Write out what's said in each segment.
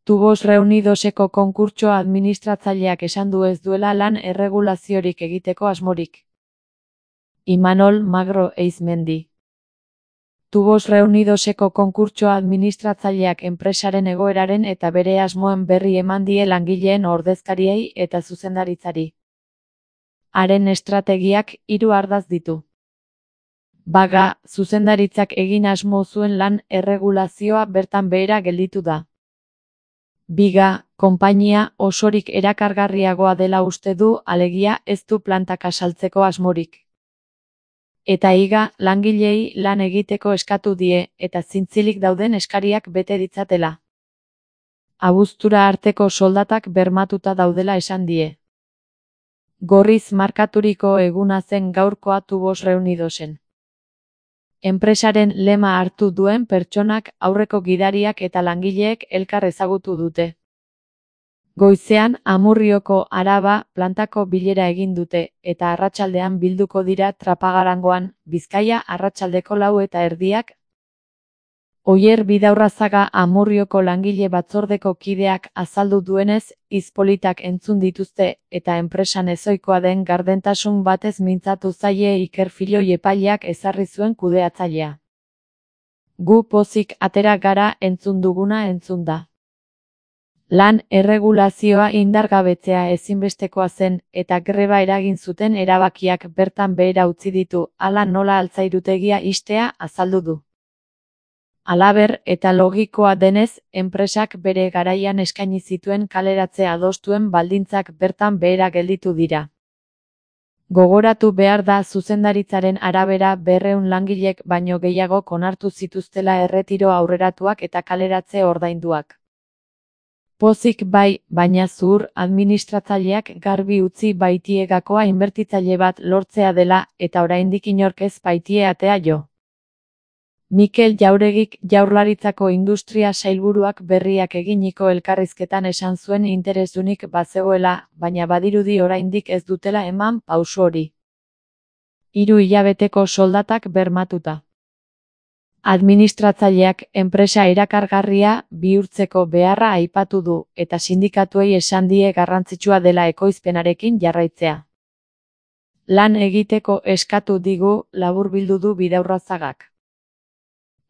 Tubos Reunidoseko konkurtsoa administratzaileak esan du ez duela lan erregulaziorik egiteko asmorik. Imanol Magro Eizmendi. Tubos Reunidoseko konkurtsoa administratzaileak enpresaren egoeraren eta bere asmoen berri eman die langileen ordezkariei eta zuzendaritzari. Haren estrategiak 3 ardatz ditu. Baga, zuzendaritzak egin asmo zuen lan erregulazioa bertan behera gelditu da. Biga, konpainia osorik erakargarriagoa dela uste du, alegia ez du plantak asaltzeko asmorik. Eta higa, langileei lan egiteko eskatu die, eta zintzilik dauden eskariak bete ditzatela. Abuztura arteko soldatak bermatuta daudela esan die. Gorriz markaturiko eguna zen gaurkoa Tubos Reunidosen. Enpresaren lema hartu duen pertsonak, aurreko gidariak eta langileek elkar ezagutu dute. Goizean Amurrioko Araba plantako bilera egin dute, eta arratsaldean bilduko dira Trapagarangoan, Bizkaia arratsaldeko 4:30. Oier Bidaurrazaga Amurrioko langile batzordeko kideak azaldu duenez, hitz politak entzun dituzte, eta enpresan ezohikoa den gardentasun batez mintzatu zaie Iker Filoi epaileak ezarri zuen kudeatzailea. Gu pozik atera gara entzun duguna entzunda. Lan erregulazioa indargabetzea ezinbestekoa zen, eta greba eragin zuten erabakiak bertan behera utzi ditu, hala nola altzairutegia ixtea azaldu du. Halaber, eta logikoa denez, enpresak bere garaian eskaini zituen kaleratzea adostuen baldintzak bertan behera gelditu dira. Gogoratu behar da zuzendaritzaren arabera 200 langilek baino gehiago onartu zituztela erretiro aurreratuak eta kaleratze ordainduak. Pozik bai, baina zuhur administratzaileak garbi utzi baitie gakoa inbertitzaile bat lortzea dela, eta oraindik inork ez baitie atea jo. Mikel Jauregik Jaurlaritzako Industria Sailburuak berriak eginiko elkarrizketan esan zuen interesdunik bazegoela, baina badirudi oraindik ez dutela eman pauso hori. 3 hilabeteko soldatak bermatuta. Administratzaileak enpresa erakargarria bihurtzeko beharra aipatu du, eta sindikatuei esan die garrantzitsua dela ekoizpenarekin jarraitzea. Lan egiteko eskatu digu, laburbildu du Bidaurrazagak.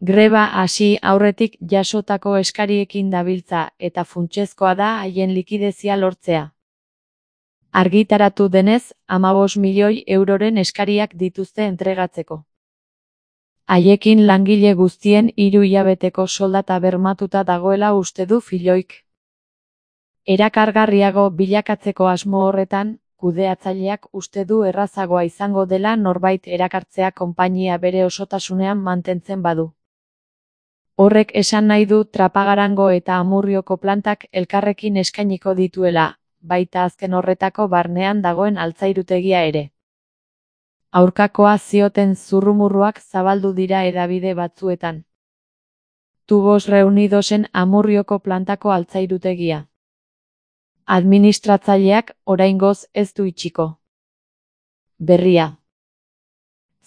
Greba hasi aurretik jasotako eskariekin dabiltza, eta funtsezkoa da haien likidezia lortzea. Argitaratu denez, 15 milioi euroren eskariak dituzte entregatzeko. Haiekin langile guztien 3 hilabeteko soldata bermatuta dagoela uste du Filoik. Erakargarriago bilakatzeko asmo horretan, kudeatzaileak uste du errazagoa izango dela norbait erakartzea konpainia bere osotasunean mantentzen badu. Horrek esan nahi du Trapagarango eta Amurrioko plantak elkarrekin eskainiko dituela, baita azken horretako barnean dagoen altzairutegia ere. Aurkakoa zioten zurrumurruak zabaldu dira hedabide batzuetan. Tubos Reunidosen Amurrioko plantako altzairutegia. Administratzaileak oraingoz ez du itxiko. Berria.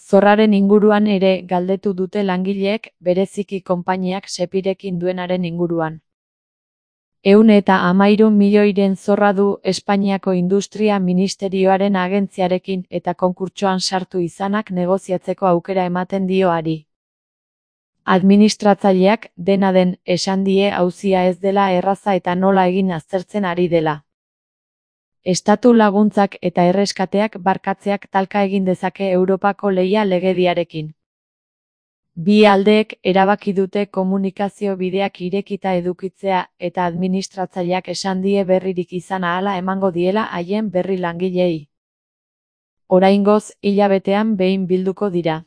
Zorraren inguruan ere galdetu dute langileek, bereziki konpainiak Sepirekin duenaren inguruan. 113 milioiren zorra du Espainiako Industria Ministerioaren agentziarekin eta konkurtsoan sartu izanak negoziatzeko aukera ematen dio hari. Administratzaileak, dena den, esan die auzia ez dela erraza eta nola egin aztertzen ari dela. Estatu laguntzak eta erreskateak barkatzeak talka egin dezake Europako lehia legediarekin. Bi aldeek erabaki dute komunikazio bideak irekita edukitzea eta administratzaileak esan die berririk izan ahala emango diela haien berri langileei. Oraingoz, hilabetean behin bilduko dira.